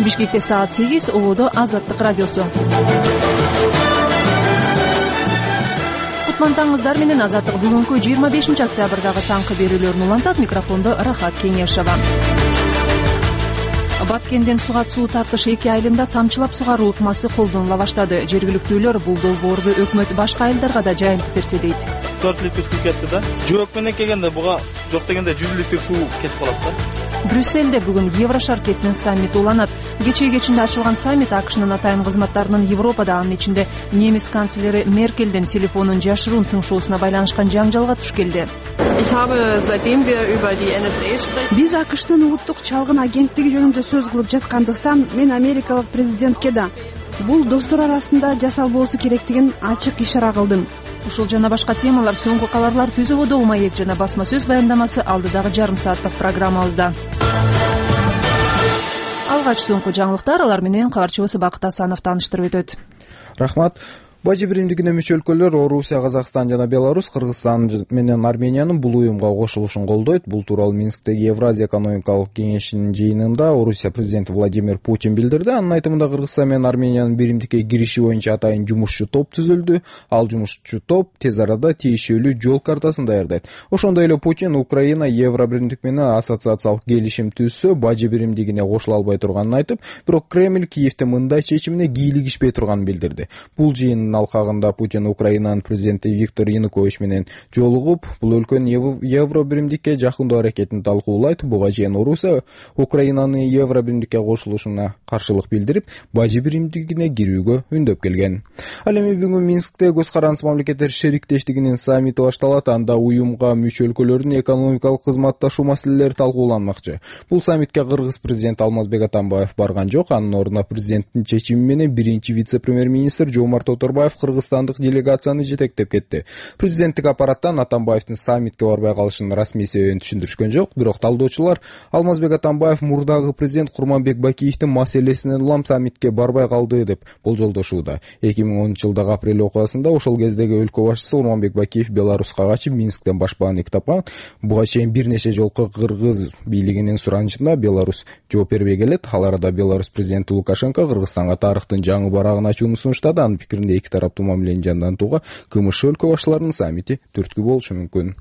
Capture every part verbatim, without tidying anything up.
Бишкекте саат сегиз, Ободо Азаттык радиосу. Кутмантаңыздар менен Азаттык бүгүнкү жыйырма бешинчи октябрдагы таңкы берүүлөрүн улантат. Микрофондо Рахат Кеңешова. Баткенден Сугат суу тартыш эки айылында тамчылап сугаруу ыкмасы колдонула баштады. Жергиликтүүлөр бул долбоорду өкмөт башка айылдарга да жайылтып берсе дейт. төрт литр суу кетти да. Жок менен келгенде буга жок дегенде жүз литр суу кетип калат да. Брюсселде бүгүн Еврошар кетинин саммити уланат. Кечээ кечинде ачылган саммит АКШнын атайын кызматтарынын Европада, анын ичинде немис канцлери Меркелдин телефонун жашыруун тыңшоосуна байланышкан жаңжалга туш келди. Биз АКШнын улуттук чалгын агенттиги жөнүндө сөз кылып жаткандыктан мен америкалык президентке да бул достор арасында жасалбоосу керектигин ачык ишара кылдым. Ушул жана башка темалар соңку кабарлар Түз Ободо маек жана басма сөз баяндамасы алдыдагы жарым сааттык программабызда. Алгач соңку жаңылыктар, алар менен кабарчыбыз Бакыт Асанов тааныштырып өтөт. Рахмат. Бажы биримдигине мүчө өлкөлөр Орусия, Казакстан жана Беларусь, Кыргызстан менен Армениянын бул уюмга кошулушун колдойт. Бул тууралуу Минсктеги Евразия экономикалык кеңешинин жыйынында Орусия президенти Владимир Путин билдирди. Анын айтымында Кыргызстан менен Армениянын биримдикке кириши боюнча атайын жумушчу топ түзүлдү. Ал жумушчу топ тез арада тиешелүү жол картасын даярдайт. Ошондой эле Путин Украина Евро биримдик менен ассоциациялык келишим түзсө, бажы биримдигине кошула албай турганын айтып, бирок Кремль Киевте мындай чечимине кийлигишпей турганын билдирди. Бул жыйын алкагында Путин Украинанын президенти Виктор Янукович менен жолугуп, бул өлкөнүн Евро биримдикке жакындоо аракетин талкуулайт. Буга чейин Орусия Украинанын Евро биримдикке кошулушуна каршылык билдирип, бажы биримдигине кирүүгө үндөп келген. Ал эми бүгүн Минскте көз карандысыз мамлекеттер шериктештигинин саммити башталат. Анда уюмга мүчө өлкөлөрдүн экономикалык кызматташуу маселелери талкууланмакчы. Бул саммитке Кыргыз президенти Алмазбек Атамбаев барган жок. Анын ордуна президенттин чечими менен биринчи вице-премьер-министр Жомарт Оторбаев кыргызстандык делегацияны жетектеп кетти. Президенттик аппараттан Атамбаевдин саммитке барбай калышынын расмий себебин түшүндүрүшкөн жок, бирок талдоочулар Алмазбек Атамбаев мурдагы президент Курманбек Бакиевдин маселесинен улам саммитке барбай калды деп болжолдошууда. эки миң онунчу жылдагы апрель окуясында ошол кездеги өлкө башчысы Курманбек Бакиев Беларуска качып, Минсктен башпаанылык тапкан. Буга чейин бир нече жолку Кыргыз бийлигинин суранышына Беларусь жооп бербей келет. Ал арада Беларусь президенти Лукашенко Кыргызстанга тарыхтын жаңы барагын ачууну сунуштады. Анын пикиринде эки тараптуу мамилени жандантууга КМШ өлкө башчыларынын саммити түрткү болушу мүмкүн.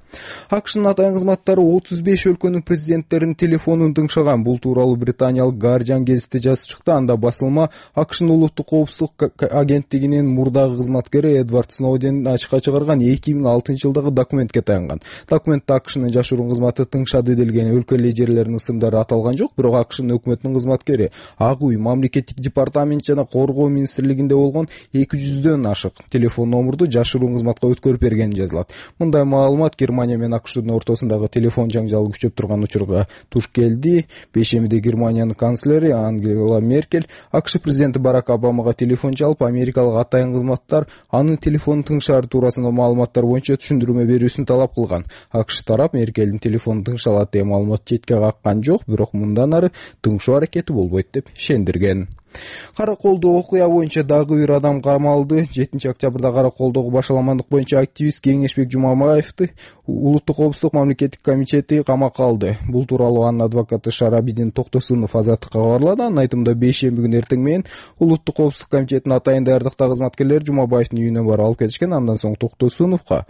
АКШнын атайын кызматтары отуз беш өлкөнүн президенттеринин телефонун тыңшаган. Бул тууралуу британиялык Guardian гезити жазып чыкты. Анда басылма АКШнын улуттук коопсуздук агенттигинин мурдагы кызматкери Эдвард Сноуден ачыкка чыгарган эки миң алтынчы жылдагы документке таянган. Документте АКШнын жашыруун кызматы тыңшады делген өлкө лидерлеринин ысымдары аталган жок, бирок АКШнын өкмөтүнүн кызматкери ак үй, мамлекеттик департамент жана коргоо министрлигинде болгон эки жүздөн ашык телефон номурду жашыруун кызматка өткөрүп бергени жазылат. Мындай маалымат Германия менен АКШнын ортосундагы телефон жаңжалы күчөп турган учурга туш келди. Бейшембиде Германиянын канцлери Ангела Меркель АКШ президенти Барак Обамага телефон чалып, америкалык атайын кызматтар анын телефонун тыңшаары туурасында маалыматтар боюнча түшүндүрмө берүүсүн талап кылган. АКШ тарап Меркелдин телефонун тыңшалат деген маалымат четке каккан жок, бирок мындан ары тыңшоо аракети болбойт деп ишендирген. Караколдо окуя боюнча дагы бир адам камалды. жетинчи октябрда Караколдогу башаламандык боюнча активист Кеңешбек Жумабаевди улуттук коопсуздук мамлекеттик комитети камакка алды. Бул тууралуу анын адвокаты Шарабидин Токтосунов Азаттыкка кабарлады. Анын айтымында бейшемби күнү эртең менен улуттук коопсуздук комитетинин атайын даярдыкта кызматкерлери Жумабаевдин үйүнө барып алып кетишкен. Андан соң Токтосуновго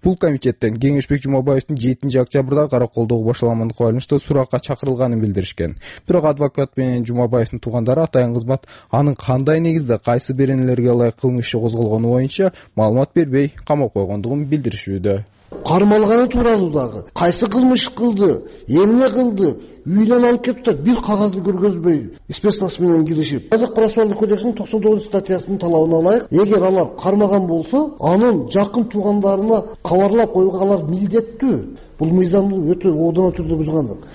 бул комитеттен Кеңешбек Жумабаевдин жетинчи октябрда Караколдогу башаламандыкка байланыштуу суракка чакырылганын билдиришкен. Бирок адвокат менен Жумабаевдин туугандары атайын кызмат анын кандай негизде кайсы беренелерге ылайык кылмыш иши козголгону боюнча маалымат бербей камап койгондугун билдиришүүдө. Кармалганы тууралуу дагы кайсы кылмыш кылды, эмне кылды, үйүнөн алып келиптир, бир кагазды көргөзбөй спецназ менен киришип. Казак процессуалдык кодексинин токсон тогузунчу статьясынын талабына ылайык, эгер алар кармаган болсо, анын жакын туугандарына кабарлап койгонлар милдеттүү. Бул мыйзамды өтө оодон түрдө бузгандык.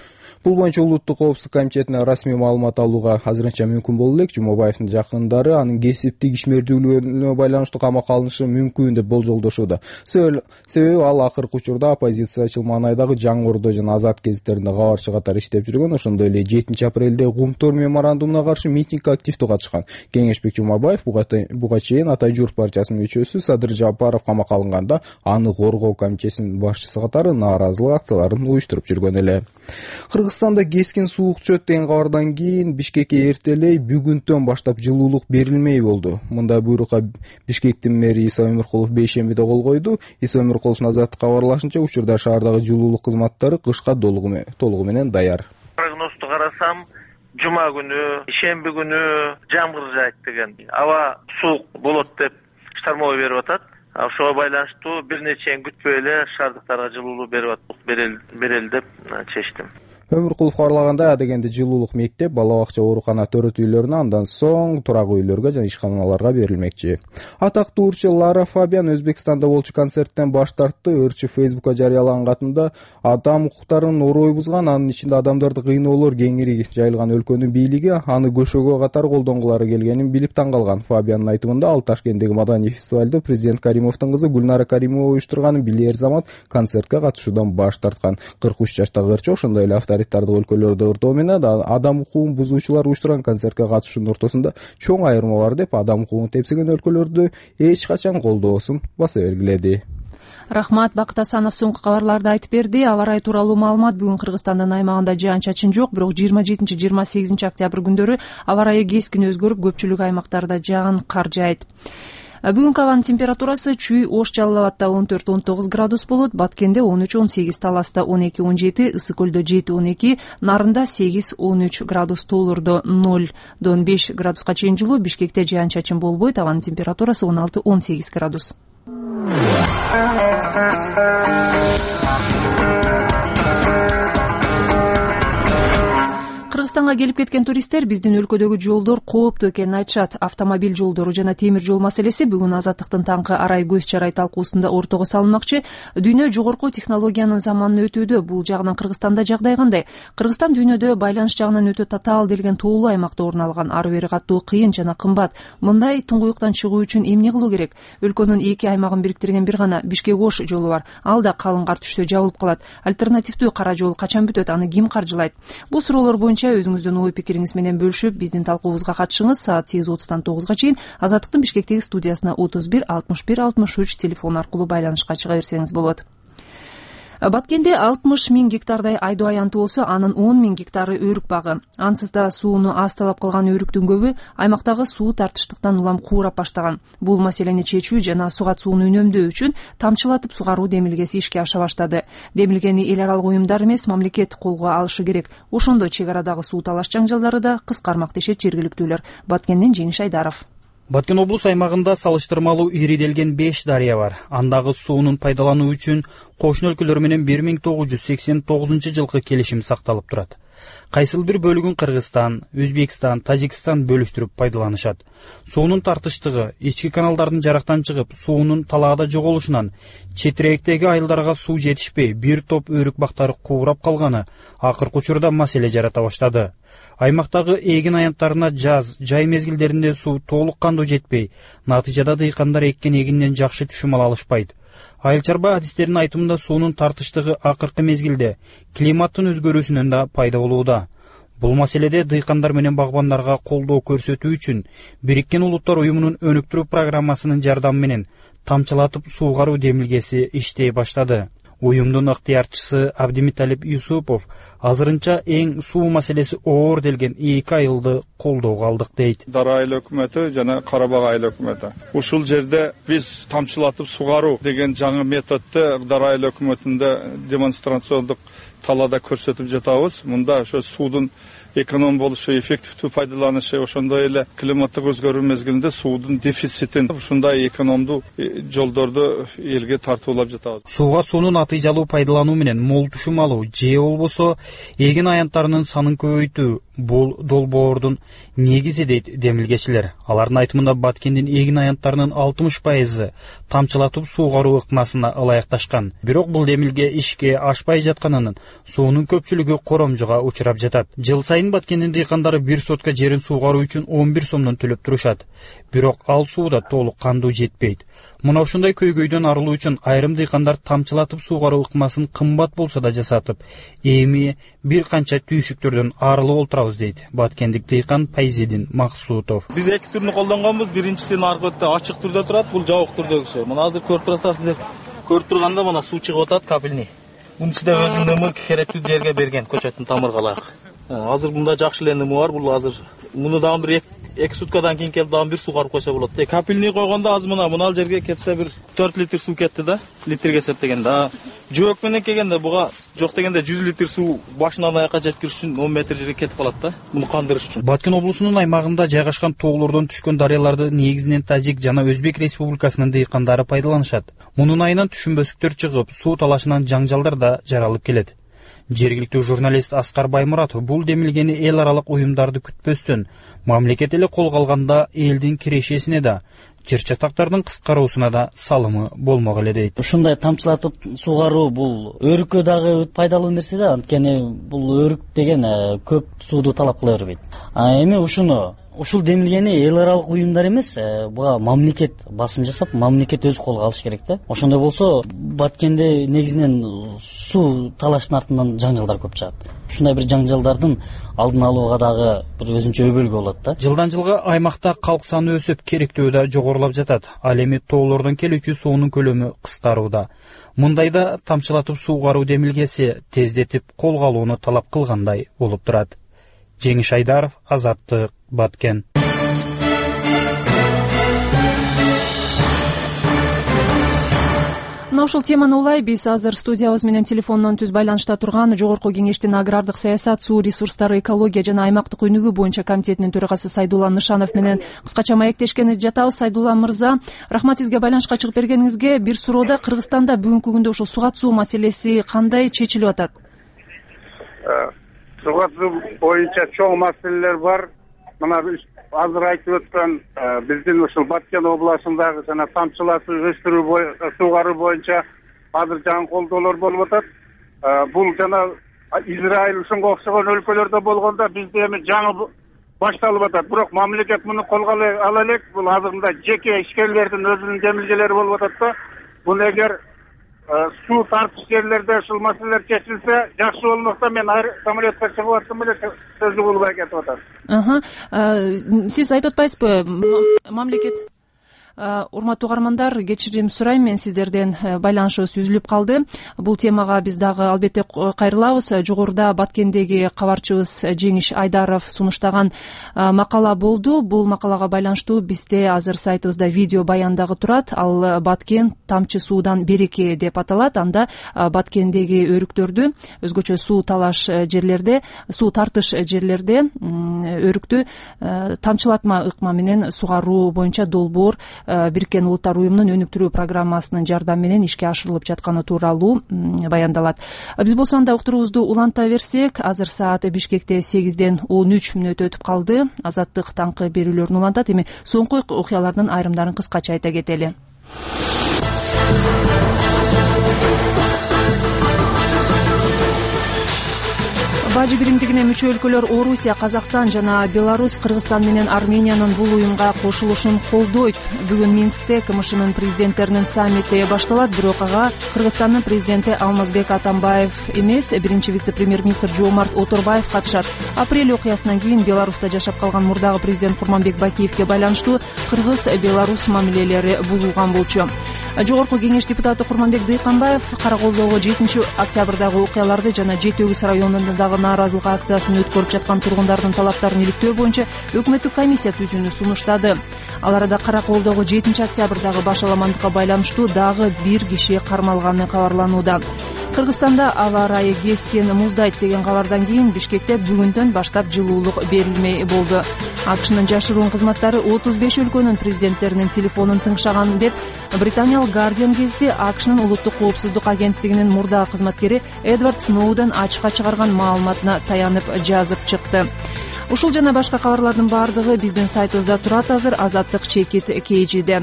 Бул боюнча улуттук коопсуздук комитетине расмий маалымат алууга азырынча мүмкүн боло элек. Жумабаевдин жакындары анын кесиптик ишмердүүлүгүнө байланыштуу камакка алынышы мүмкүн деп болжолдошууда. Себеби ал акыркы учурда оппозициячыл Маанайдагы Жаңы Ордо жана Азат гезиттеринде кабарчы катары иштеп жүргөн. Ошондой эле жетинчи апрелде Кумтор меморандумуна каршы митингге активдүү катышкан. Кеңешбек Жумабаев буга чейин Атай Журт партиясынын мүчөсү Садыр Жапаров камакка алынганда аны коргоо комитетинин башчысы катары нааразылык акцияларын уюштуруп жүргөн эле. Кыргызстанда кескин суук чөт деген кабардан кийин Бишкекке эртелей бүгүнтөн баштап жылуулук берилмей болду. Мындай буйрукка Бишкектин мэри Иса Өмүркулов бейшембиде кол койду. Иса Өмүркуловдун азаттыкка кабарлашынча, учурда шаардагы жылуулук кызматтары кышка толугу менен даяр. Прогнозду карасам, жума күнү, шемби күнү жамгыр жаайт деген, аба суук болот деп штормовой берип атат. Ошого байланыштуу бир нече күтпөй эле шаардыктарга жылуулук берип берели деп чечтим. Өмүркулов кабарлагандай, адегенде жылуулук мектеп, бала бакча, оорукана, төрөт үйлөрүнө, андан соң турак үйлөргө жана ишканаларга берилмекчи. Атактуу ырчы Лара Фабиан Өзбекстанда болчу концерттен баш тартты. Ырчы Фейсбукка жарыялаган катында адам укуктарын орой бузган, анын ичинде адамдарды кыйноолор кеңири жайылган өлкөнүн бийлиги аны көшөгө катар колдонгулары келгенин билип таң калган. Фабиандын айтымында, ал Ташкенттеги маданий фестивалда президент Каримовдун кызы Гүлнара Каримова уюштурган билер замат концертке катышуудан баш тарткан. кырк үч жаштагы ырчы ошондой эле авторитардык өлкөлөрдө ырдоо менен адам укугун бузуучулар уюштурган концертке катышуунун ортосунда чоң айырма бар деп, адам укугун тепсеген өлкөлөрдү эч качан колдоосун баса белгиледи. Рахмат. Бакыт Асанов соңку кабарларды айтып берди. Аба ырайы тууралуу маалымат: бүгүн Кыргызстандын аймагында жаан-чачын жок, бирок жыйырма жетинчи жыйырма сегизинчи октябрь күндөрү аба ырайы кескин өзгөрүп, көпчүлүк аймактарда жаагын кар жаайт. Бүгүнкү абанын температурасы Чүй, Ош, Жалал Абадта он төрт он тогуз градус болот, Баткенде он үч он сегиз, Таласта он эки он жети, Ысык көлдө жети он эки, Нарында сегиз он үч градус, Тоолордо нолдон беш градуска чейин жылуу, Бишкекте жаан-чачын болбойт, абанын температурасы он алты он сегиз градус. Кыргызстанга келип кеткен туристтер биздин өлкөдөгү жолдор кооптуу экенин айтышат. Автомобиль жолдору жана темир жол маселеси бүгүн Азаттыктын таңкы арай көз чарай талкуусунда ортого салынмакчы. Дүйнө жогорку технологиянын заманына өтүүдө. Бул жагынан Кыргызстанда жагдай кандай? Кыргызстан дүйнөдө байланыш жагынан өтө татаал делген тоолуу аймакта орун алган. Ары бери каттуу кыйын жана кымбат. Мындай туңгуюктан чыгуу үчүн эмне кылуу керек? Өлкөнүн эки аймагын бириктирген бир гана Бишкек-Ош жолу бар. Ал да калың кар түштө жабылып калат. Альтернативдүү кара жол качан бүтөт? Аны ким каржылайт? Бул суроолор боюнча өзүңүздүн ой пикириңиз менен бөлүшүп, биздин талкуубузга катышыңыз. Саат сегиз отуздан тогузга чейин Азаттыктын Бишкектеги студиясына отуз бир алтымыш бир алтымыш үч телефон аркылуу байланышка чыга берсеңиз болот. Баткенде алтымыш миң гектардай айдоо аянты болсо, анын он миң гектары өрүк багы. Ансыз да сууну аз талап кылган өрүктүн көбү аймактагы суу тартыштыктан улам куурап баштаган. Бул маселени чечүү жана сугат сууну үнөмдөө үчүн тамчылатып сугаруу демилгеси ишке аша баштады. Демилгени эл аралык уюмдар эмес, мамлекет колго алышы керек. Ошондо чек арадагы суу талаш жаңжалдары да кыскармак дешет жергиликтүүлөр. Баткенден Жеңиш Айдаров. Баткен облус аймагында салыштырмалуу ириделген беш дарыя бар. Андагы суунун пайдалануу үчүн кошуна өлкөлөр менен бир миң тогуз жүз сексен тогузунчу жылкы келишим сакталып турат. Кайсыл бир бөлүгүн Кыргызстан, Өзбекстан, Тажикстан бөлүштүрүп пайдаланышат. Суунун тартыштыгы, ички каналдардын жарактан чыгып, суунун талаада жоголушунан, четирээктеги айылдарга суу жетишпей, бир топ өрүк бактары куурап калганы акыркы учурда маселе жарата баштады. Аймактагы эгин аянттарына жаз, жай мезгилдеринде суу толук кандуу жетпей, натыйжада дыйкандар эккен эгинден жакшы түшүм ала алышпайт. Айыл чарба адистердин айтымында суунун тартыштыгы акыркы мезгилде климаттын өзгөрүүсүнөн да пайда болууда. Бул маселеде дыйкандар менен багбандарга колдоо көрсөтүү үчүн Бириккен Улуттар уюмунун өнүктүрүү программасынын жардамы менен тамчылатып суугаруу демилгеси иштей баштады. Уюмдун ыктыярчысы Абдимиталип Юсупов азырынча эң суу маселеси оор делген эки айылды колдоого алдык дейт. Дара айыл өкмөтү жана Карабак айыл өкмөтү. Ушул жерде биз тамчылатып сугаруу деген жаңы методду Дара айыл өкмөтүндө демонстрациондук талаада көрсөтүп жатабыз. Мында ошо суудун эконом болушу, эффективдүү пайдаланышы, ошондой эле климаттык өзгөрүү мезгилинде суудун дефицитин ушундай экономдуу жолдорду элге тартуулап жатабыз. Сууга суунун натыйжалуу пайдалануу менен мол түшүм алуу же болбосо эгин аянттарынын санын көбөйтүү бул долбоордун негизи дейт демилгечилер. Алардын айтымында Баткендин эгин аянттарынын алтымыш пайызы тамчылатып суугаруу ыкмасына ылайыкташкан. Бирок бул демилге ишке ашпай жатканынын суунун көпчүлүгү коромжуга учурап жатат. Жыл сайын Баткендин дыйкандары бир сотка жерин суугаруу үчүн он бир сомдон төлөп турушат. Бирок ал сууда толук кандуу жетпейт. Мына ушундай көйгөйдөн арылуу үчүн айрым дыйкандар тамчылатып суугаруу ыкмасын кымбат болсо да жасатып, эми бир канча түйшүктөрдөн арылып олтурабыз дейт баткендик дыйкан Пайзидин Максутов. Биз эки түрүнү колдонгонбуз. Биринчисинин аркы бетте ачык түрдө турат, бул жабык түрдөгүсү. Мына азыр көрүп турасыздар сиздер. Көрүп турганда мына суу чыгып атат, капельный. Мунун ичинде өзүнүн нымы керектүү жерге берген көчөттүн тамыргалак. Азыр мында жакшы эле нымы бар. Бул азыр муну дагы бир эки суткадан кийин келип дагы бир сугарып койсо болот. Капельный койгондо азыр мына мына жерге кетсе бир төрт литр суу кетти да, литрге эсептегенде. Жөөк менен келгенде буга жок дегенде жүз литр суу башынан аякка жеткириш үчүн он метр жерге кетип калат да, муну кандырыш үчүн. Баткен облусунун аймагында жайгашкан тоолордон түшкөн дарыяларды негизинен Тажик жана Өзбек Республикасынын дыйкандары пайдаланышат. Мунун айынан түшүнбөстүктөр чыгып, суу талашынан жаңжалдар да жаралып келет. Жергиликтүү журналист Аскар Баймуратов бул демилгени эл аралык уюмдарды күтпөстөн мамлекет эле колго алганда элдин кирешесине да, жер чатактардын кыскаруусуна да салымы болмок эле дейт. Ушундай тамчылатып сугаруу бул өрүккө дагы пайдалуу нерсе да, анткени бул өрүк деген көп сууду талап кыла бербейт. А эми ушуну ушул демилгени эл аралык уюмдар эмес, буга мамлекет басым жасап, мамлекет өзү колго алыш керек да. Ошондой болсо Баткенде негизинен суу талаштын артынан жаңжалдар көп чыгат. Ушундай бир жаңжалдардын алдын алууга дагы бир өзүнчө өбөлгү болот да. Жылдан жылга аймакта калк саны өсүп, керектөө да жогорулап жатат. Ал эми тоолордон келүүчү суунун көлөмү кыскарууда. Мындайда тамчылатып суугаруу демилгеси тездетип колго алууну талап кылгандай болуп турат. Жеңиш Айдаров, Азаттык, Баткен. Мына ушул теманы улай биз азыр студиябыз менен телефондон түз байланышта турган Жогорку Кеңештин агрардык саясат, суу ресурстары, экология жана аймактык өнүгүү боюнча комитетинин төрагасы Сайдулла Нышанов менен кыскача маектешкени жатабыз. Сайдулла мырза, рахмат сизге байланышка чыгып бергениңизге. Бир суроода, Кыргызстанда бүгүнкү күндө ушул суга суу маселеси кандай чечилип атат? Суга суу боюнча чоң маселелер бар. Мына азыр айтып өткөн биздин ушул Баткен областындагы жана тамчылатып өстүрүү суугаруу боюнча азыр жаңы колдоолор болуп атат. Бул жана Израиль ушунга окшогон өлкөлөрдө болгондо бизде эми жаңы башталып атат. Бирок мамлекет муну колго ала элек. Бул азырында жеке ишкерлердин өзүнүн демилгелери болуп атат да. Бул эгер суу тартыш жерлерде ушул маселелер чечилсе жакшы болмок да. Мен самолетко чыгып аттым эле, сөзү болбой кетип атат. Сиз айтып атпайсызбы, мамлекет? Урматтуу угармандар, кечирим сурайм, мен сиздерден байланышыбыз үзүлүп калды. Бул темага биз дагы албетте кайрылабыз. Жогоруда Баткендеги кабарчыбыз Жеңиш Айдаров сунуштаган макала болду. Бул макалага байланыштуу бизде азыр сайтыбызда видео баян дагы турат. Ал Баткен тамчы суудан береке деп аталат. Анда Баткендеги өрүктөрдү, өзгөчө суу талаш жерлерде, суу тартыш жерлерде өрүктү тамчылатма ыкма менен сугаруу боюнча долбоор Бириккен Улуттар уюмунун өнүктүрүү программасынын жардамы менен ишке ашырылып жатканы тууралуу баяндалат. Биз болсо анда уктуруубузду уланта берсек, азыр саат Бишкекте сегизден он үч мүнөт өтүп калды. Азаттык таңкы берүүлөрүн улантат. Эми соңку окуялардын айрымдарын кыскача айта кетели. Бажы биримдигине мүчө өлкөлөр Орусия, Казакстан жана Беларусь Кыргызстан менен Армениянын бул уюмга кошулушун колдойт. Бүгүн Минскте КМШнын президенттеринин саммити башталат. Бирок ага Кыргызстандын президенти Алмазбек Атамбаев эмес, биринчи вице-премьер-министр Жомарт Оторбаев катышат. Апрель окуясынан кийин Беларуста жашап калган мурдагы президент Курманбек Бакиевге байланыштуу Кыргыз-Беларусь мамилелери бузулган болчу. Жогорку Кеңеш депутаты Курманбек Дыйканбаев Караколдогу жетинчи октябрдагы окуяларды жана Жети Өгүз районундагы нааразылык акциясын өткөрүп жаткан тургундардын талаптарын иликтөө боюнча өкмөттүк комиссия түзүүнү сунуштады. Ал арада Караколдогу жетинчи октябрдагы башаламандыкка байланыштуу дагы бир киши кармалганы кабарланууда. Кыргызстанда аба ырайы кескен муздайт деген кабардан кийин Бишкекте бүгүндөн баштап жылуулук берилмей болду. АКШнын жашыруун кызматтары отуз беш өлкөнүн президенттеринин телефонун тыңшаган деп Британиялык Guardian гезити АКШнын улуттук коопсуздук агенттигинин мурдагы кызматкери Эдвард Сноуден ачыкка чыгарган маалыматына таянып жазып чыкты. Ушул жана башка кабарлардын баардыгы биздин сайтыбызда турат азыр. Азаттык чекит кейжиде.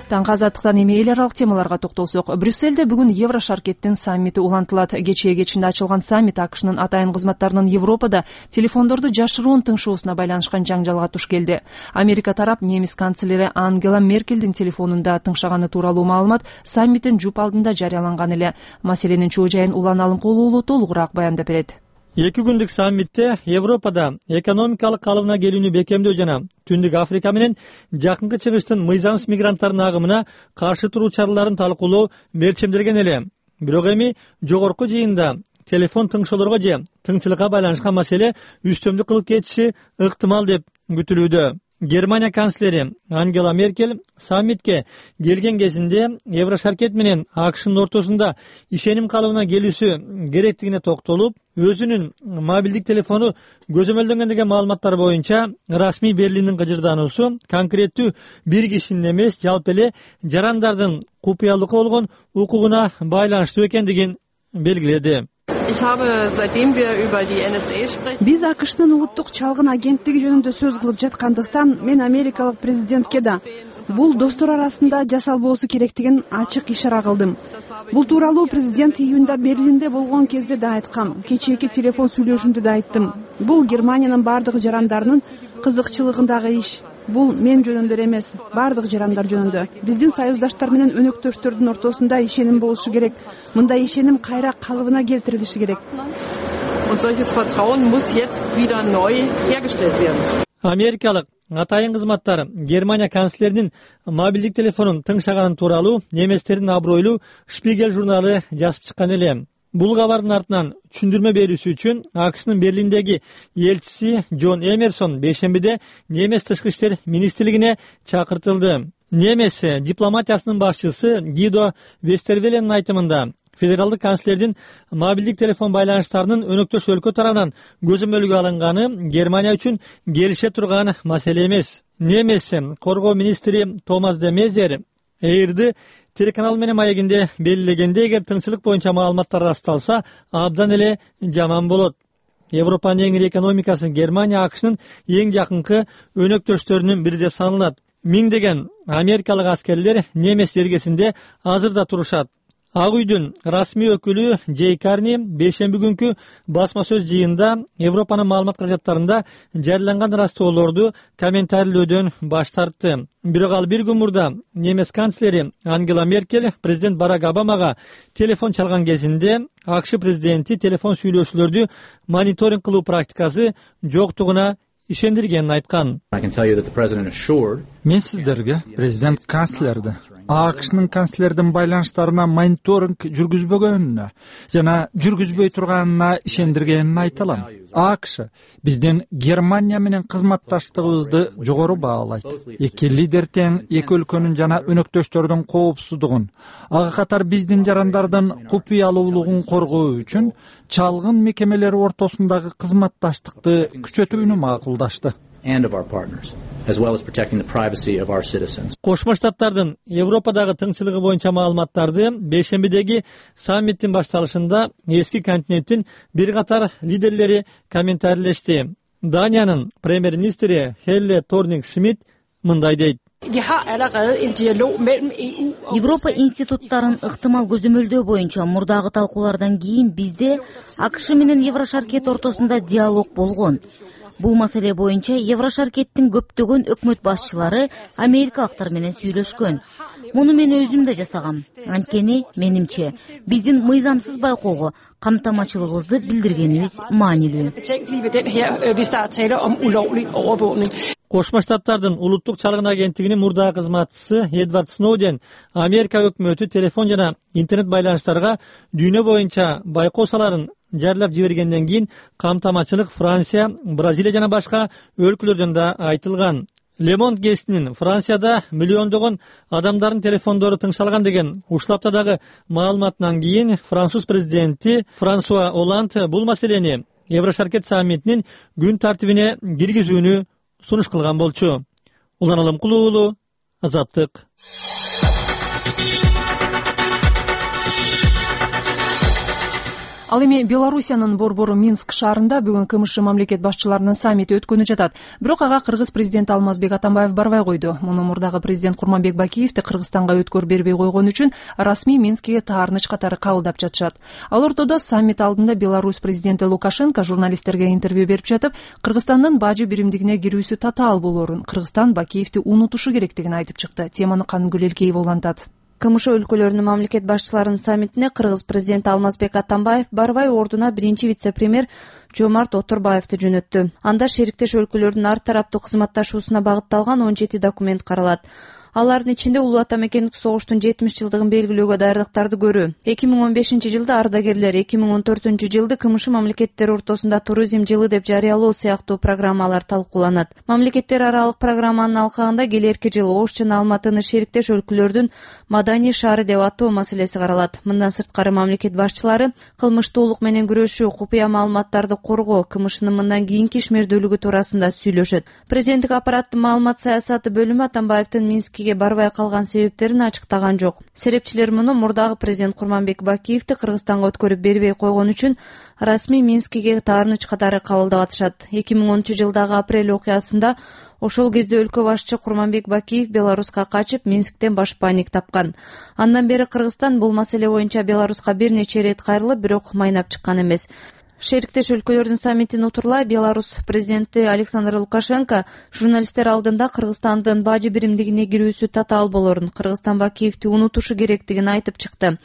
Таңкы азаттыктан эми эл аралык темаларга токтолсок, Брюссельде бүгүн Еврошаркеттин саммити улантылат. Кечээ кечинде ачылган саммит АКШнын атайын кызматтарынын Европада телефондорду жашыруун тыңшоосуна байланышкан жаңжалга туш келди. Америка тарап немис канцлери Ангела Меркелдин телефонунда тыңшаганы тууралуу маалымат саммиттин жуп алдында жарыяланган эле. Маселенин чоо жайын Улан Алымкулуу уулу толугураак баяндап берет. Эки күндүк саммитте Европада экономикалык калыбына келүүнү бекемдөө жана Түндүк Африка менен Жакынкы Чыгыштын мыйзамсыз мигранттардын агымына каршы туруу чараларын талкуулоо мерчемделген эле. бирок эми жогорку жыйында телефон тыңшоолорго же тыңчылыкка байланышкан маселе үстөмдүк кылып кетиши ыктымал деп күтүлүүдө. Германия канцлери Ангела Меркель саммитке келген кезинде Еврошаркет менен АКШнын ортосунда ишеним калыбына келүүсү керектигине токтолуп, өзүнүн мобилдик телефону көзөмөлдөнгөн деген маалыматтар боюнча расмий Берлиндин кыжырдануусу конкреттүү бир кишинин эмес, жалпы эле жарандардын купуялыкка болгон укугуна байланыштуу экендигин белгиледи. Биз АКШнын улуттук чалгын агенттиги жөнүндө сөз кылып жаткандыктан мен америкалык президентке да бул достор арасында жасалбоосу керектигин ачык ишара кылдым. Бул тууралуу президент июнда Берлинде болгон кезде да айткам. Кечээки телефон сүйлөшүүмдө да айттым. Бул Германиянын бардык жарандарынын кызыкчылыгындагы иш. Бул мен жөнүндө эмес, бардык жарандар жөнүндө. Биздин союздаштар менен өнөктөштөрдүн ортосунда ишеним болушу керек. Мындай ишеним кайра калыбына келтирилиши керек. Америкалык атайын кызматтар Германия канцлеринин мобилдик телефонун тыңшаганын тууралуу неместердин абройлуу Шпигель журналы жазып чыккан эле. Бул кабардын артынан түшүндүрмө берүүсү үчүн АКШнын Берлиндеги элчиси Джон Эмерсон бейшембиде немес тышкы иштер министрлигине чакыртылды. Немес дипломатиясынын башчысы Гидо Вестервеленин айтымында федералдык канцлердин мобилдик телефон байланыштарынын өнөктөш өлкө тарабынан көзөмөлгө алынганы Германия үчүн келише турган маселе эмес. Немес коргоо министри Томас де Мезер Эйрди телеканал менен маегинде белгилегенде, эгер тыңчылык боюнча маалыматтар ырасталса, абдан эле жаман болот. Европанын эң ири экономикасы Германия АКШнын эң жакынкы өнөктөштөрүнүн бири деп саналат. Миңдеген америкалык аскерлер немес жергесинде азыр да турушат. Ак үйдүн расмий өкүлү Джей Карни бейшемби күнкү басма сөз жыйында Европанын маалымат каражаттарында жарыяланган ырастоолорду комментарийлөөдөн баш тартты. Бирок ал бир күн мурда немес канцлери Ангела Меркель президент Барак Обамага телефон чалган кезинде АКШ президенти телефон сүйлөшүүлөрдү мониторинг кылуу практикасы жоктугуна ишендиргенин айткан. Мен сиздерге президент канцлерди АКШнын канцлердин байланыштарына мониторинг жүргүзбөгөнүнө жана жүргүзбөй турганына ишендиргенин айта алам. АКШ биздин Германия менен кызматташтыгыбызды жогору баалайт. Эки лидер тең эки өлкөнүн жана өнөктөштөрдүн коопсуздугун, ага катар биздин жарандардын купуялуулугун коргоо үчүн чалгын мекемелери ортосундагы кызматташтыкты күчөтүүнү макулдашты. Кошмо Штаттардын Европадагы тыңчылыгы боюнча маалыматтарды бейшембидеги саммиттин башталышында эски континенттин бир катар лидерлери комментарийлешти. Даниянын премьер-министри Хелле Торнинг-Шмидт мындай дейт. Европа институттарын ыктымал көзөмөлдөө боюнча мурдагы талкуулардан кийин бизде АКШ менен Еврошаркет ортосунда диалог болгон. Бул маселе боюнча Еврошаркеттин көптөгөн өкмөт башчылары америкалыктар менен сүйлөшкөн. Муну мен өзүм да жасагам. Анткени менимче биздин мыйзамсыз байкоого камтамачылыгыбызды билдиргенибиз маанилүү. Кошмо Штаттардын улуттук чалгын агенттигинин мурдагы кызматчысы Эдвард Сноуден Америка өкмөтү телефон жана интернет байланыштарга дүйнө боюнча байкоо саларын жарыялап жибергенден кийин камтамачылык Франция, Бразилия жана башка өлкөлөрдөн да айтылган. Лемонт гезитинин Францияда миллиондогон адамдардын телефондору тыңшалган деген уштаптадагы маалыматынан кийин француз президенти Франсуа Оланд бул маселени Еврошаркет саммитинин күн тартибине киргизүүнү сунуш кылган болчу. Улан Алымкулуу уулу, Азаттык. Ал эми Белоруссиянын борбору Минск шаарында бүгүн КМШ мамлекет башчыларынын саммити өткөнү жатат. Бирок ага кыргыз президенти Алмазбек Атамбаев барбай койду. Муну мурдагы президент Курманбек Бакиевди Кыргызстанга өткөр бербей койгон үчүн расмий Минскке таарыныч катары кабылдап жатышат. Ал ортодо саммит алдында Беларусь президенти Лукашенко журналисттерге интервью берип жатып, Кыргызстандын бажы биримдигине кирүүсү татаал болоорун, Кыргызстан Бакиевди унутушу керектигин айтып чыкты. Теманы Каныгүл Элкеева улантат. КМШ өлкөлөрүнүн мамлекет башчыларынын саммитине кыргыз президенти Алмазбек Атамбаев барбай ордуна биринчи вице-премьер Жомарт Оторбаевди жөнөттү. Анда шериктеш өлкөлөрдүн ар тараптуу кызматташуусуна багытталган он жети документ каралат. алардын ичинде улуу ата мекендик согуштун жетимиш жылдыгын белгилөөгө даярдыктарды көрүү. эки миң он бешинчи жылда ардагерлер, эки миң он төртүнчү жылды КМШ мамлекеттери ортосунда туризм жылы деп жарыялоо сыяктуу программалар талкууланат. Мамлекеттер аралык программанын алкагында келерки жылы Ош жана Алматыны шериктеш өлкөлөрдүн маданий шаары деп атоо маселеси каралат. Мындан сырткары мамлекет башчылары кылмыштуулук менен күрөшүү, купуя маалыматтарды коргоо, КМШнын мындан кийинки ишмердүүлүгү туурасында сүйлөшөт. Президенттик аппараттын маалымат саясаты бөлүмү Атамбаевдин Минскиге барбай калган себептерин ачыктаган жок. Серепчилер муну мурдагы президент Курманбек Бакиевди Кыргызстанга өткөрүп бербей койгон үчүн расмий Минскиге таарыныч катары кабылдап атышат. эки миң онунчу жылдагы апрель окуясында ошол кезде өлкө башчы Курманбек Бакиев Беларуска качып, Минсктен башпаанник тапкан. Андан бери Кыргызстан бул маселе боюнча Беларуска бир нече ирет кайрылып, бирок майнап чыккан эмес. Шериктеш өлкөлөрдүн саммитин утурлай Беларусь президенти Александр Лукашенко журналисттер алдында Кыргызстандын бажы биримдигине кирүүсү татаал болорун, Кыргызстан Бакиевди унутушу керектигин айтып чыкты.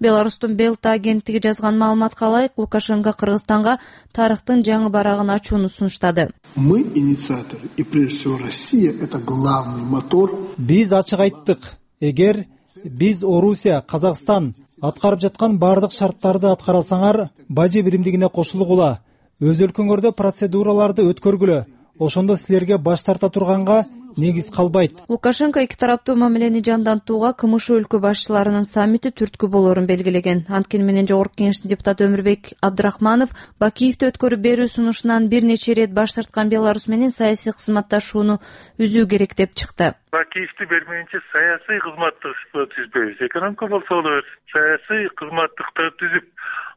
Беларустун Белта агенттиги жазган маалыматка ылайык, Лукашенко Кыргызстанга тарыхтын жаңы барагын ачууну сунуштады. Мы инициаторы, и прежде всего Россия — это главный мотор. Биз ачык айттык. Эгер биз Орусия, Казакстан аткарып жаткан бардык шарттарды аткарасаңар, бажы биримдигине кошулгула, өз өлкөңөрдө процедураларды өткөргүлө. Ошондо силерге баш тарта турганга негиз калбайт. Лукашенко эки тараптуу мамилени жандантууга КМШ өлкө башчыларынын саммити түрткү болорун белгилеген. Анткени менен Жогорку Кеңештин депутаты Өмүрбек Абдрахманов Бакиевди өткөрүп берүү сунушунан бир нече ирет баш тарткан Беларусь менен саясий кызматташууну үзүү керек деп чыкты. Бакиевди бермейинче саясий кызматташуу түзбөйбүз. Экономика болсо болот. Саясий кызматтыкты түзүп,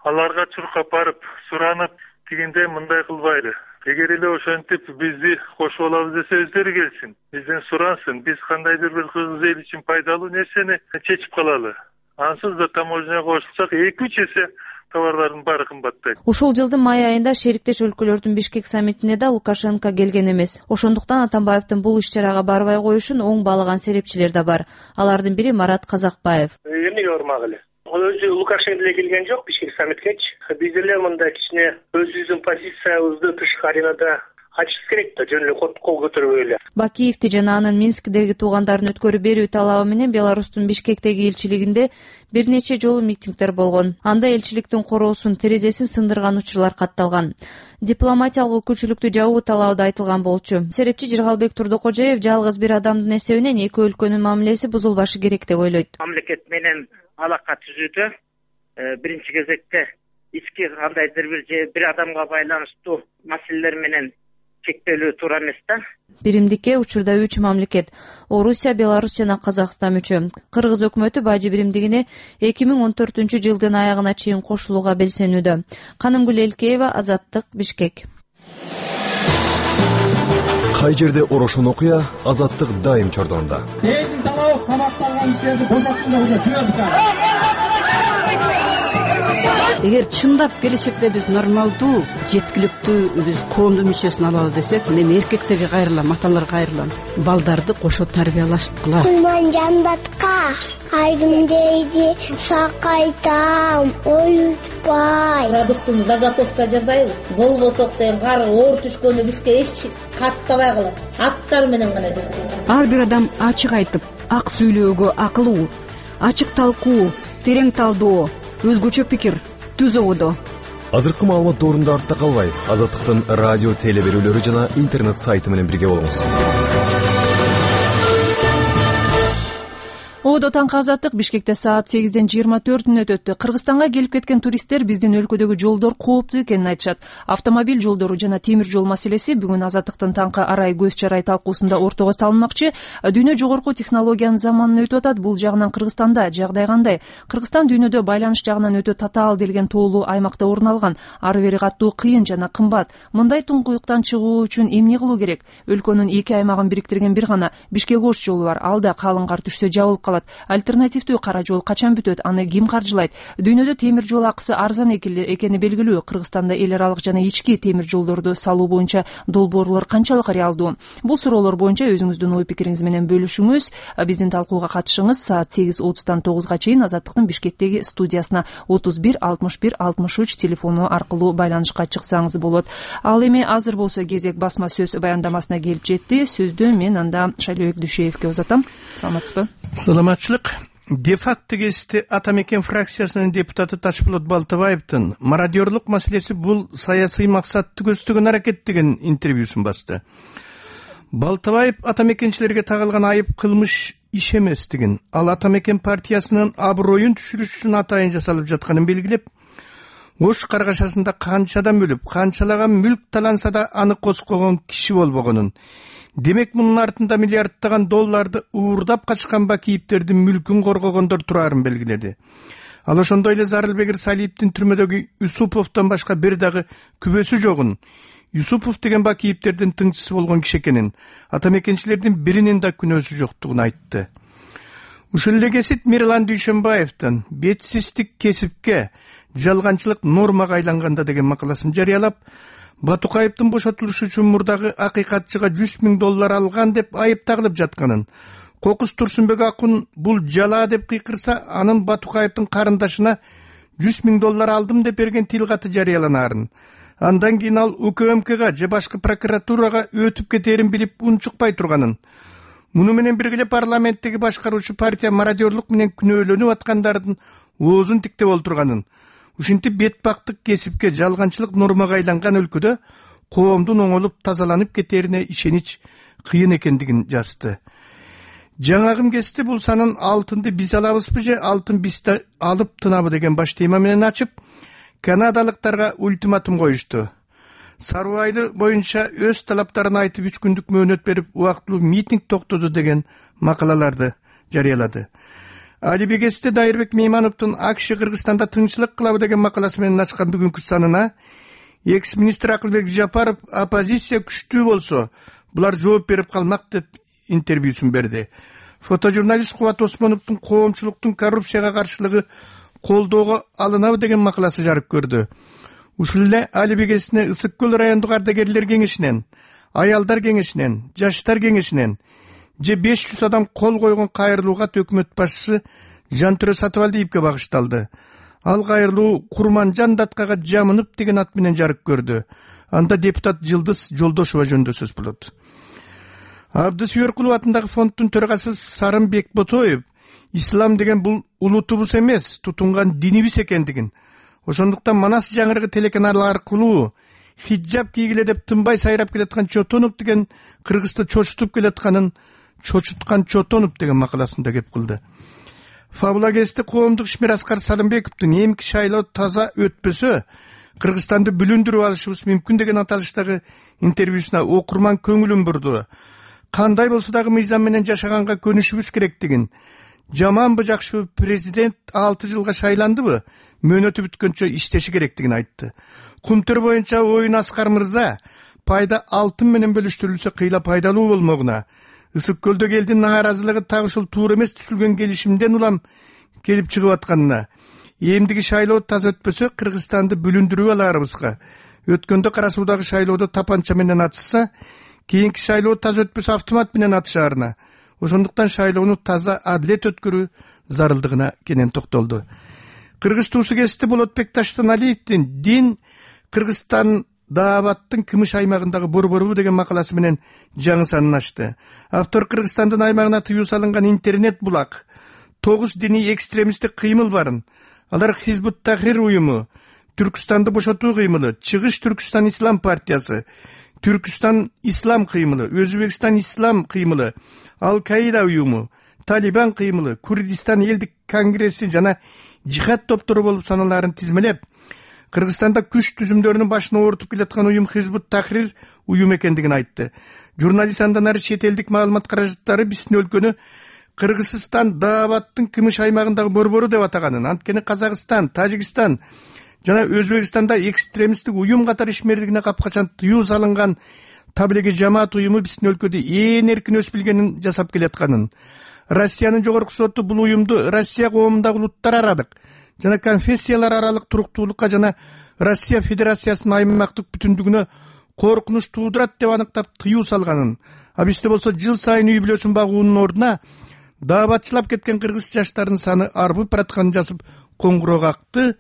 аларга чуркап барып, суранып дегенде мындай кылбайлы. Эгер эле ошентип бизди кошуп алабыз десе өздөрү келсин, бизден сурансын, биз кандайдыр бир кыргыз эл үчүн пайдалуу нерсени чечип калалы. Ансыз да таможняга кошулсак эки үч эсе товарлардын баары кымбаттайт. Ушул жылдын май айында шериктеш өлкөлөрдүн Бишкек саммитине да Лукашенко келген эмес. Ошондуктан Атамбаевдин бул иш-чарага барбай коюшун оң баалаган серепчилер да бар. Алардын бири Марат Казакбаев. Эмнеге бармак эле? Ал өзү Лукашенко деле келген жок Бишкек саммиткечи. Биз деле мындай кичине өзүбүздүн позициябызды тышкы аренада ачыш керек да, жөн эле кол көтөрбөй эле. Бакиевди жана анын Минскдеги туугандарын өткөрүп берүү талабы менен Беларустун Бишкектеги элчилигинде бир нече жолу митингдер болгон. Анда элчиликтин короосун, терезесин сындырган учурлар катталган. Дипломатиялык өкүлчүлүктү жабуу талабы да айтылган болчу. Серепчи Жыргалбек Турдукожоев жалгыз бир адамдын эсебинен эки өлкөнүн мамилеси бузулбашы керек деп ойлойт. Мамлекет менен алака түзүүдө биринчи кезекте ички кандайдыр бир же бир адамга байланыштуу маселелер менен чектелүү туура эмес да. Биримдикке учурда үч мамлекет — Орусия, Беларусь жана Казакстан мүчө. Кыргыз өкмөтү бажы биримдигине эки миң он төртүнчү жылдын аягына чейин кошулууга белсенүүдө. Канымгүл Элкеева, Азаттык, Бишкек. Кай жерде орошон окуя, Азаттык дайым чордонда. Элдин талабы камакталган кишилерди бошотсун деп уже жибердик. Эгер чындап келечекте биз нормалдуу, жеткиликтүү биз коомдун мүчөсүн алабыз десек, мен эркектерге кайрылам, аталарга кайрылам. Балдарды кошо тарбиялаштыкыла. Мен жандатка айдым дейди, сакайтам, оютпай. Продуктун заготовка жасайбыз. Болбосок деген кар оор түшкөнү бизге эч каттабай калат. Аттар менен гана. Ар бир адам ачык айтып, ак сүйлөөгө акылуу, ачык талкуу, терең талдоо, өзгөчө пикир түз ободо. Азыркы маалымат доорунда артта калбай, Азаттыктын радио теле берүүлөрү жана интернет сайты менен бирге болуңуз. Ободо таңкы Азаттык Бишкекте саат сегизден жыйырма төрт мүнөт өттү. Кыргызстанга келип кеткен туристтер биздин өлкөдөгү жолдор кооптуу экенин айтышат. Автомобиль жолдору жана темир жол маселеси бүгүн Азаттыктын таңкы арай көз чарай талкуусунда ортого салынмакчы. Дүйнө жогорку технологиянын заманын өтүп атат. Бул жагынан Кыргызстанда жагдай кандай? Кыргызстан дүйнөдө байланыш жагынан өтө татаал делген тоолуу аймакта орун алган. Ары бери каттуу кыйын жана кымбат. Мындай туңкуюктан чыгуу үчүн эмне кылуу керек? Өлкөнүн эки аймагын бириктирген бир гана Бишкек-Ош жолу бар. Ал да калың кар түшсө жабылып калат. калат? Альтернативдүү кара жол качан бүтөт? Аны ким каржылайт? Дүйнөдө темир жол акысы арзан экени белгилүү. Кыргызстанда эл аралык жана ички темир жолдорду салуу боюнча долбоорлор канчалык реалдуу? Бул суроолор боюнча өзүңүздүн ой пикириңиз менен бөлүшүңүз. Биздин талкууга катышыңыз. Саат сегиз отуздан тогузга чейин Азаттыктын Бишкектеги студиясына отуз бир алтымыш бир алтымыш үч телефону аркылуу байланышка чыксаңыз болот. Ал эми азыр болсо кезек басма сөз баяндамасына келип жетти. Сөздү мен анда Шайлообек Дүйшеевге узатам. Саламатсызбы? Саламатчылык. Де-факто кесте Ата мекен фракциясынын депутаты Ташполот Балтабаевдин мародёрлук маселеси бул саясий максатты көздөгөн аракет деген интервьюсун басты. Балтабаев ата мекенчилерге тагылган айып кылмыш иш эместигин, ал Ата мекен партиясынын аброюн түшүрүш үчүн атайын жасалып жатканын белгилеп, Ош каргашасында канчадан бөлүп, канчалаган мүлк таланса да аны коскогон киши болбогонун, демек мунун артында миллиардтаган долларды уурдап качкан бакийиптердин мүлкүн коргогондор турарын белгиледи. Ал ошондой эле Зарылбек Салиевдин түрмөдөгү Юсуповдон башка бир дагы күбөсү жогун, Юсупов деген бакийиптердин тыңчысы болгон киши экенин, ата мекенчилердин биринин да күнөөсү жоктугун айтты. Ушул эле кесип Мирлан Дүйшөнбаевдин бетсиздик кесипке, жалганчылык нормага айланганда деген макаласын жарыялап, Батукаевдин бошотулушу үчүн мурдагы акыйкатчыга жүз миң доллар алган деп айып тагылып жатканын, Кокус Турсунбек акун бул жала деп кыйкырса, анын Батукаевдин карындашына жүз миң доллар алдым деп берген тил каты жарыяланаарын, андан кийин ал УКМКга же башка прокуратурага өтүп кетерин билип унчукпай турганын, муну менен бирге парламенттеги башкаруучу партия мародёрлук менен күнөөлөнүп аткандардын оозун тиктеп олтурганын, ушинтип бетбактык кесипке, жалганчылык нормага айланган өлкөдө коомдун оңолуп тазаланып кетерине ишенич кыйын экендигин жазды. Жаңагым кести бул санын алтынды биз алабызбы же алтын бизди алып тынабы деген баш тема менен ачып, канадалыктарга ультиматум коюшту. Саруу айыл боюнча өз талаптарын айтып үч күндүк мөөнөт берип, убактылуу митинг токтоду деген макалаларды жарыялады. Алиби кесте Дайырбек Меймановдун АКШ Кыргызстанда тынччылык кылабы деген макаласы менен ачкан бүгүнкү санына экс-министр Акылбек Жапаров оппозиция күчтүү болсо, булар жооп берип калмак деп интервьюсун берди. Фотожурналист Кубат Осмоновдун коомчулуктун коррупцияга каршылыгы колдоого алынабы деген макаласы жарык көрдү. Ушул эле Алиби кесине Ысык көл райондук ардагерлер кеңешинен, аялдар кеңешинен, жаштар кеңешинен же беш жүз адам кол койгон кайрылуу кат өкмөт башчысы Жантөрө Сатыбалдиевге багышталды. Ал кайрылуу Курманжан Даткага жамынып деген ат менен жарык көрдү. Анда депутат Жылдыз Жолдошова жөнүндө сөз болот. Абдысүйөркулов атындагы фонддун төрагасы Сарын Бекботоев ислам деген бул улутубуз эмес, тутунган динибиз экендигин, ошондуктан Манас жаңырыгы телеканалы аркылуу хиджаб кийгиле деп тынбай сайрап келаткан Чотонов деген Кыргызды чочутуп келатканын чочуткан Чотонов деген макаласында кеп кылды. Фабула кести коомдук ишмер Аскар Салымбековдун эмки шайлоо таза өтпөсө Кыргызстанды бүлүндүрүп алышыбыз мүмкүн деген аталыштагы интервьюсуна окурман көңүлүн бурду. Кандай болсо дагы мыйзам менен жашаганга көнүшүбүз керектигин, жаманбы жакшыбы президент алты жылга шайландыбы, мөөнөтү бүткөнчө иштеши керектигин айтты. Кумтөр боюнча оюн Аскар мырза пайда алтын менен бөлүштүрүлсө кыйла пайдалуу болмогуна, Ысык көлдөгү элдин нааразылыгы так ушул туура эмес түзүлгөн келишимден улам келип чыгып атканына, эмдиги шайлоо таза өтпөсө Кыргызстанды бүлүндүрүп аларыбызга, өткөндө Кара Суудагы шайлоодо тапанча менен атышса, кийинки шайлоо таза өтпөсө автомат менен атышаарына, ошондуктан шайлоону таза адилет өткөрүү зарылдыгына кенен токтолду. Кыргыз туусу кести Болотбек Таштаналиевдин дин Кыргызстан Даабаттын Кымыш аймагындагы борборубу деген макаласы менен жаңы санын ачты. Автор Кыргызстандын аймагына тыюу салынган интернет булак, тогуз диний экстремисттик кыймыл барын. Алар Хизбут Тахрир уюму, Түркүстанды бошотуу кыймылы, Чыгыш Түркүстан Ислам партиясы, Түркүстан Ислам кыймылы, Өзбекстан Ислам кыймылы, Ал-Каида уюму, Талибан кыймылы, Курдистан элдик конгресси жана жихад топтору болуп саналарын тизмелеп, Кыргызстанда күч түзүмдөрүнүн башына ортуп келаткан уюм Хизбут Тахрир уюм экендигин айтты. Журналист андан ары чет элдик маалымат каражаттары биздин өлкөнү Кыргызстан Даабаттын Кымыш аймагындагы борбору деп атаганын, анткени Казакстан, Тажикстан жана Өзбекстанда экстремисттик уюм катары ишмерлигине капкачан тыюу салынган Таблиги жамаат уюму биздин өлкөдө ээн эркин өсүп келгенин жасап келатканын, Россиянын жогорку соту бул уюмду Россия коомундагы улуттар аралык жана конфессиялар аралык туруктуулукка жана Россия Федерациясынын аймактык бүтүндүгүнө коркунуч туудурат деп аныктап тыюу салганын, а бизде болсо жыл сайын үй бүлөсүн багуунун ордуна даабатчылап кеткен кыргыз жаштарынын саны арбып баратканын жазып коңгуроо какты.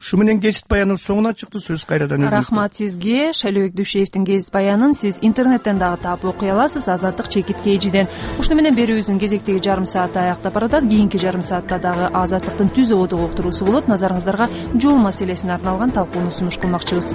Ушу менен гезит баянын соңуна чыкты. Сөз кайрадан өзүңүздө. Рахмат сизге. Шайлообек Дүйшеевдин гезит баянын сиз интернеттен дагы таап окуй аласыз. Азаттык чекит кежиден. Ушуну менен берүүбүздүн кезектеги жарым сааты аяктап баратат. Кийинки жарым саатта дагы Азаттыктын түз ободук уктуруусу болот. Назарыңыздарга жол маселесине арналган талкууну сунуш кылмакчыбыз.